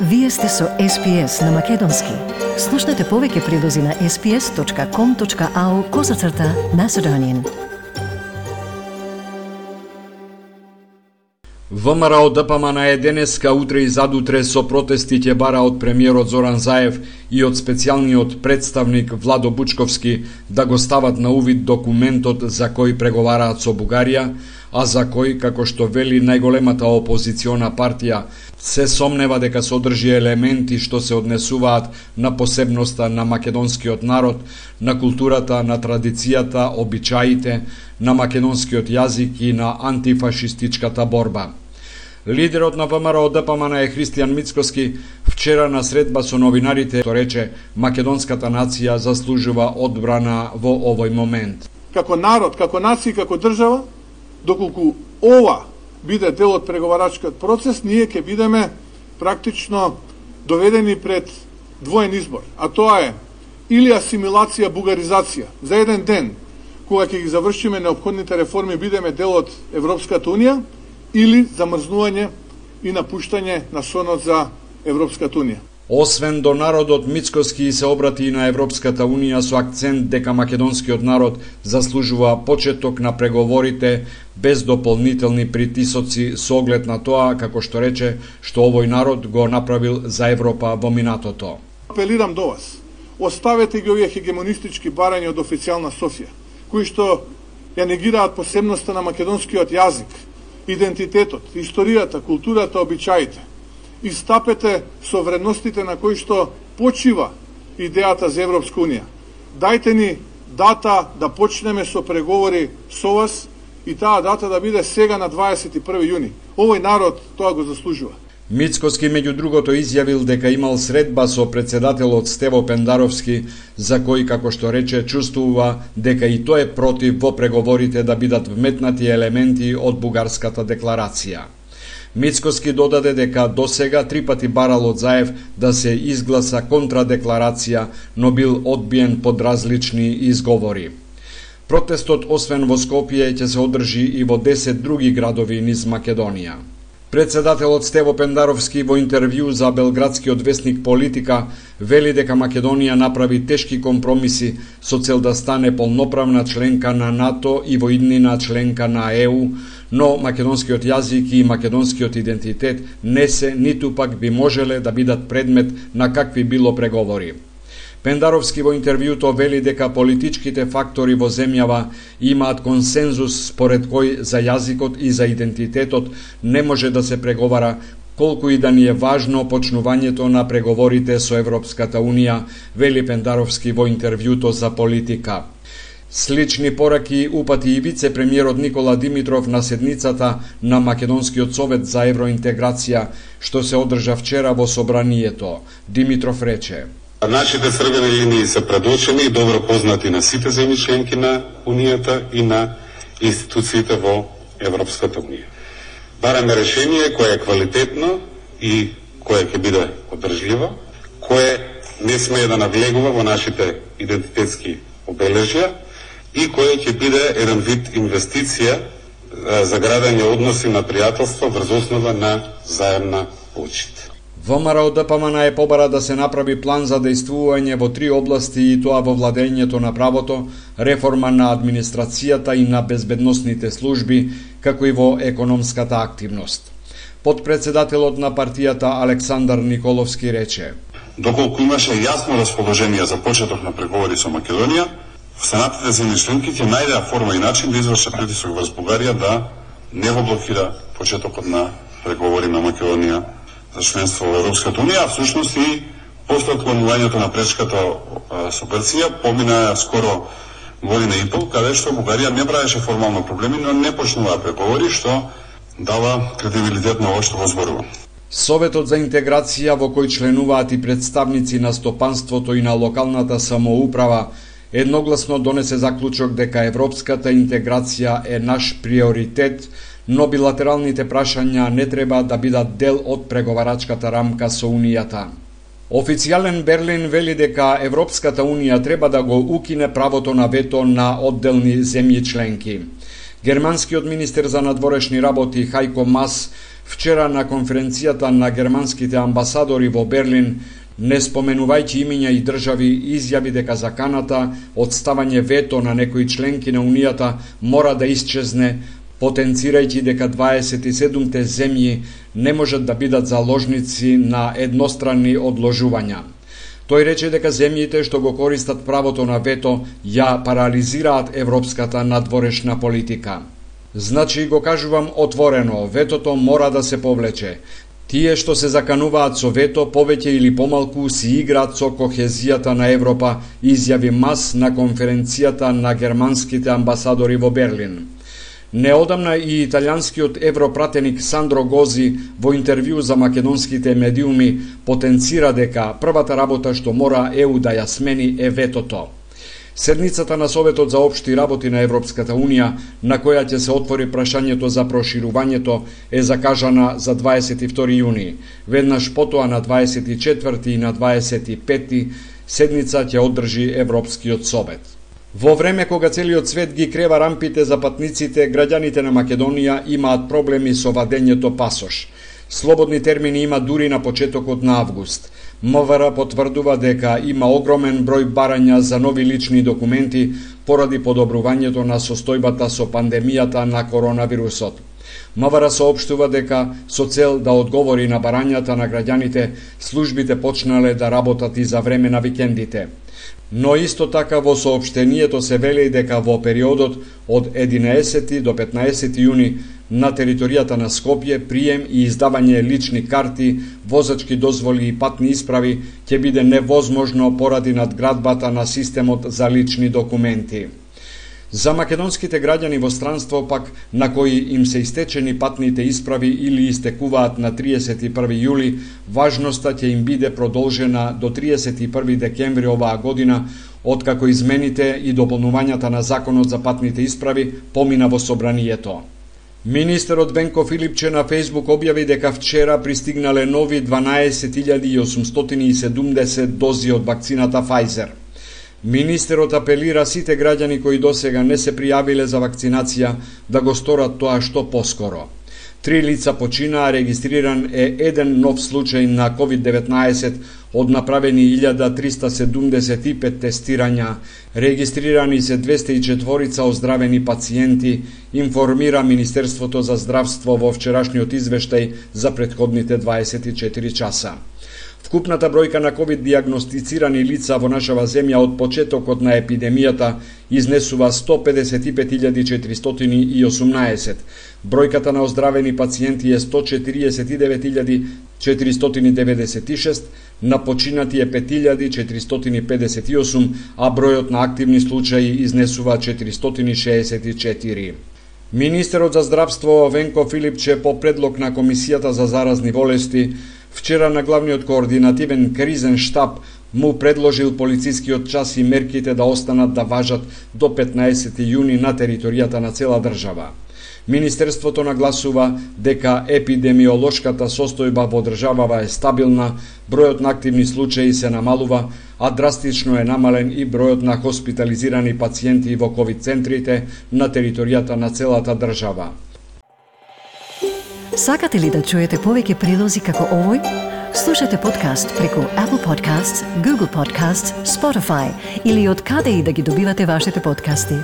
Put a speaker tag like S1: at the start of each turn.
S1: Вие сте со SPS на Македонски. Слушнете повеќе прилози на sps.com.au/Macedonian.
S2: ВМРО ДПМН е денеска, утре и задутре со протести ќе бара од премиерот Зоран Заев и од специјалниот представник Владо Бучковски да го стават на увид документот за кој преговараат со Бугарија, а за кој, како што вели најголемата опозициона партија, се сомнева дека содржи елементи што се однесуваат на посебноста на македонскиот народ, на културата, на традицијата, обичаите, на македонскиот јазик и на антифашистичката борба. Лидерот на ВМРО ДПМН е Христијан Мицкоски вчера на средба со новинарите рече македонската нација заслужува одбрана во овој момент.
S3: Како народ, како нација, како држава, доколку ова биде дел од преговарачкиот процес, ние ќе бидеме практично доведени пред двоен избор, а тоа е или асимилација, бугаризација за еден ден, кога ќе ги завршиме неопходните реформи, бидеме дел од Европската Унија, или замрзнување и напуштање на сонот за Европската Унија.
S2: Освен до народот, Мицкоски се обрати и на Европската Унија со акцент дека македонскиот народ заслужува почеток на преговорите без дополнителни притисоци со оглед на тоа, како што рече, што овој народ го направил за Европа во минатото.
S3: Апелирам до вас, оставете ги овие хегемонистички барања од официјална Софија, кои што ја негираат посебноста на македонскиот јазик, идентитетот, историјата, културата, обичаите. Истапете со вредностите на кои што почива идејата за Европска Унија. Дајте ни дата да почнеме со преговори со вас и таа дата да биде сега на 21 јуни. Овој народ тоа го заслужува.
S2: Мицкоски меѓу другото изјавил дека имал средба со председателот Стево Пендаровски, за кој, како што рече, чувствува дека и тој е против во преговорите да бидат вметнати елементи од бугарската декларација. Мицкоски додаде дека досега 3 пати барал од Заев да се изгласа контрадекларација, но бил одбиен под различни изговори. Протестот, освен во Скопје, ќе се одржи и во 10 други градови низ Македонија. Председателот Стево Пендаровски во интервју за белградскиот весник Политика вели дека Македонија направи тешки компромиси со цел да стане полноправна членка на НАТО и во иднина членка на ЕУ, но македонскиот јазик и македонскиот идентитет не се, ниту пак би можеле да бидат предмет на какви било преговори. Пендаровски во интервјуто вели дека политичките фактори во земјава имаат консензус според кој за јазикот и за идентитетот не може да се преговара, колку и да ни е важно почнувањето на преговорите со Европската Унија, вели Пендаровски во интервјуто за Политика. Слични пораки упати и вице-премиерот Никола Димитров на седницата на Македонскиот совет за евроинтеграција, што се одржа вчера во собранието. Димитров рече:
S4: Нашите црвени линии се предочени и добро познати на сите земји членки на Унијата и на институциите во Европската Унија. Бараме решение кое е квалитетно и кое ќе биде одржливо, кое не смее да навлегува во нашите идентитетски обележја и кое ќе биде еден вид инвестиција за градење односи на пријателство врз основа на заемна почит.
S2: ВМРО ДПМН е побара да се направи план за дејствување во 3 области и тоа во владењето на правото, реформа на администрацијата и на безбедносните служби, како и во економската активност. Подпредседателот на партијата Александар Николовски рече:
S4: Доколку имаше јасно расположение за почеток на преговори со Македонија, Сенатите земји членки ќе најдеа форма и начин да извршат притисок врз Бугарија да не го блокира почетокот на преговори на Македонија за членство во Европската Унија, а всушност и после отклонувањето на пречката со Грција помина скоро година и пол, каде што Бугарија не правеше формално проблеми, но не почнува преговори, што дава кредибилитет на ова што го зборува.
S2: Советот за интеграција, во кој членуваат и представници на стопанството и на локалната самоуправа, едногласно донесе заклучок дека европската интеграција е наш приоритет, но билатералните прашања не треба да бидат дел од преговарачката рамка со Унијата. Официјален Берлин вели дека Европската Унија треба да го укине правото на вето на одделни земји членки. Германскиот министер за надворешни работи Хајко Мас Вчера на конференцијата на германските амбасадори во Берлин, не споменувајќи имиња и држави, изјави дека заканата од ставање вето на некои членки на Унијата мора да исчезне, потенцирајќи дека 27-те земји не можат да бидат заложници на едностранни одложувања. Тој рече дека земјите што го користат правото на вето ја парализираат европската надворешна политика. Значи, го кажувам отворено, ветото мора да се повлече. Тие што се закануваат со вето, повеќе или помалку си играат со кохезијата на Европа, изјави Мас на конференцијата на германските амбасадори во Берлин. Неодамна и италијанскиот европратеник Сандро Гози во интервју за македонските медиуми потенцира дека првата работа што мора ЕУ да ја смени е ветото. Седницата на Советот за општи работи на Европската Унија, на која ќе се отвори прашањето за проширувањето, е закажана за 22 јуни. Веднаш потоа на 24 и на 25 седница ќе одржи Европскиот Совет. Во време кога целиот свет ги крева рампите за патниците, граѓаните на Македонија имаат проблеми со вадењето пасош. Слободни термини има дури на почетокот на август. МВР потврдува дека има огромен број барања за нови лични документи поради подобрувањето на состојбата со пандемијата на коронавирусот. МВР соопштува дека со цел да одговори на барањата на граѓаните, службите почнале да работат и за време на викендите. Но исто така во соопштението се вели дека во периодот од 11 до 15 јуни на територијата на Скопје прием и издавање лични карти, возачки дозволи и патни исправи ќе биде невозможно поради надградбата на системот за лични документи. За македонските граѓани во странство пак, на кои им се истечени патните исправи или истекуваат на 31 јули, важноста ќе им биде продолжена до 31 декември оваа година, откако измените и дополнувањата на Законот за патните исправи помина во собранието. Министерот Венко Филипче на Фејсбук објави дека вчера пристигнале нови 12.870 дози од вакцината Pfizer. Министерот апелира сите граѓани кои досега не се пријавиле за вакцинација да го сторат тоа што поскоро. 3 лица починаа, регистриран е еден нов случај на COVID-19 од направени 1375 тестирања, регистрирани се 204 оздравени пациенти, информира Министерството за здравство во вчерашниот извештај за претходните 24 часа. Вкупната бројка на ковид диагностицирани лица во нашава земја од почетокот на епидемијата изнесува 155.418. Бројката на оздравени пациенти е 149.496, на починати е 5.458, а бројот на активни случаи изнесува 464. Министерот за здравство Венко Филипче по предлог на Комисијата за заразни болести вчера на главниот координативен кризен штаб му предложил полицискиот час и мерките да останат да важат до 15 јуни на територијата на цела држава. Министерството нагласува дека епидемиолошката состојба во државава е стабилна, бројот на активни случаи се намалува, а драстично е намален и бројот на хоспитализирани пациенти во ковид центрите на територијата на целата држава.
S1: Сакате ли да чуете повеќе прилози како овој? Слушате подкаст преку Apple Podcasts, Google Podcasts, Spotify или од каде и да ги добивате вашите подкасти.